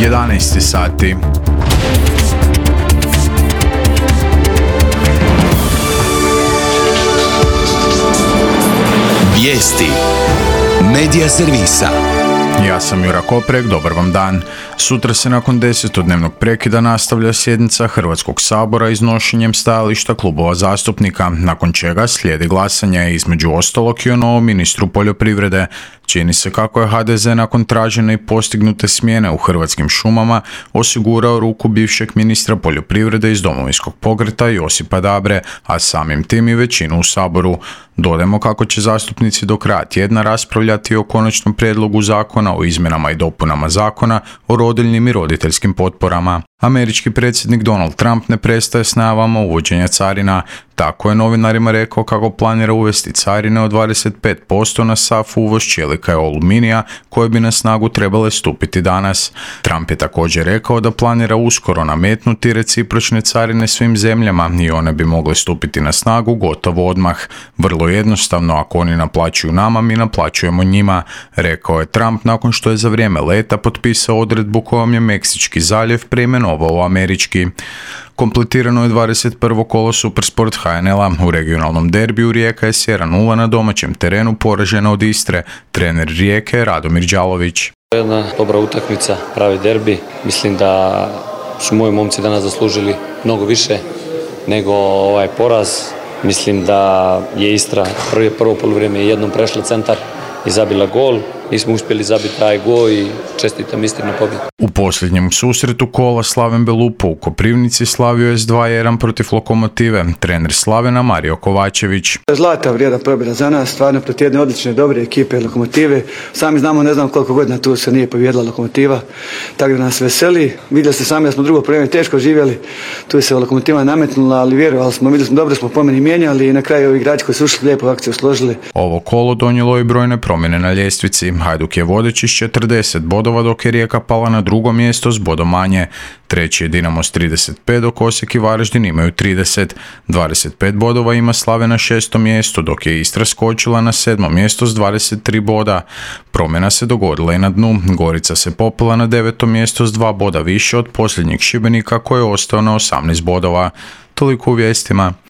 11 sati. Vijesti Medija servisa. Ja sam Jura Koprek, dobar vam dan. Sutra se nakon 10-dnevnog prekida nastavlja sjednica Hrvatskog sabora iznošenjem stajališta klubova zastupnika, nakon čega slijedi glasanje između ostalog i o novom ministru poljoprivrede. Čini se kako je HDZ nakon tražene i postignute smjene u Hrvatskim šumama osigurao ruku bivšeg ministra poljoprivrede iz Domovinskog pokreta Josipa Dabre, a samim tim i većinu u Saboru. Dodajmo kako će zastupnici do kraja tjedna raspravljati o konačnom prijedlogu zakona o izmjenama i dopunama zakona o rodiljnim i roditeljskim potporama. Američki predsjednik Donald Trump ne prestaje s najavama uvođenja carina. Tako je novinarima rekao kako planira uvesti carine od 25% na sav uvoz čelika i aluminija koje bi na snagu trebale stupiti danas. Trump je također rekao da planira uskoro nametnuti recipročne carine svim zemljama i one bi mogle stupiti na snagu gotovo odmah. Vrlo jednostavno, ako oni naplaćuju nama, mi naplaćujemo njima, rekao je Trump nakon što je za vrijeme leta potpisao odredbu kojom je Meksički zaljev preimenovao u američki. Kompletirano je 21. kolo Supersport HNL-a. U regionalnom derbiju Rijeka je s 1-0 na domaćem terenu poražena od Istre. Trener Rijeke je Radomir Đalović. Jedna dobra utakmica, pravi derbi. Mislim da su moji momci danas zaslužili mnogo više nego ovaj poraz. Mislim da je Istra prvo poluvrijeme jednom prešla centar i zabila gol. Nismo uspjeli zabiti taj gol i čestitam Istri na pobjedu. U posljednjem susretu kola Slaven Belupo u Koprivnici slavio je s 2-1 protiv Lokomotive. Trener Slavena Mario Kovačević. Zlata vrijedna pobjeda za nas, stvarno protiv jedne odlične dobre ekipe Lokomotive. Sami znamo, ne znam koliko godina tu se nije pobijedila Lokomotiva, tako da nas veseli. Vidjeli ste sami da smo drugo vrijeme teško živjeli, tu se Lokomotiva nametnula, ali vjerovali smo, vidjeli smo dobro smo po meni mijenjali i na kraju ovi igrači koji su ušli lijepo akciju složili. Ovo kolo donijelo i brojne promjene na ljestvici. Hajduk je vodeći s 40 bodova, dok je Rijeka pala na drugo mjesto s bodom manje. Treći je Dinamo s 35, dok Osijek i Varaždin imaju 30. 25 bodova ima Slavija na 6. mjestu, dok je Istra skočila na 7. mjesto s 23 boda. Promjena se dogodila i na dnu. Gorica se popela na 9. mjesto s 2 boda više od posljednjeg Šibenika koji je ostao na 18 bodova. Toliko u vijestima.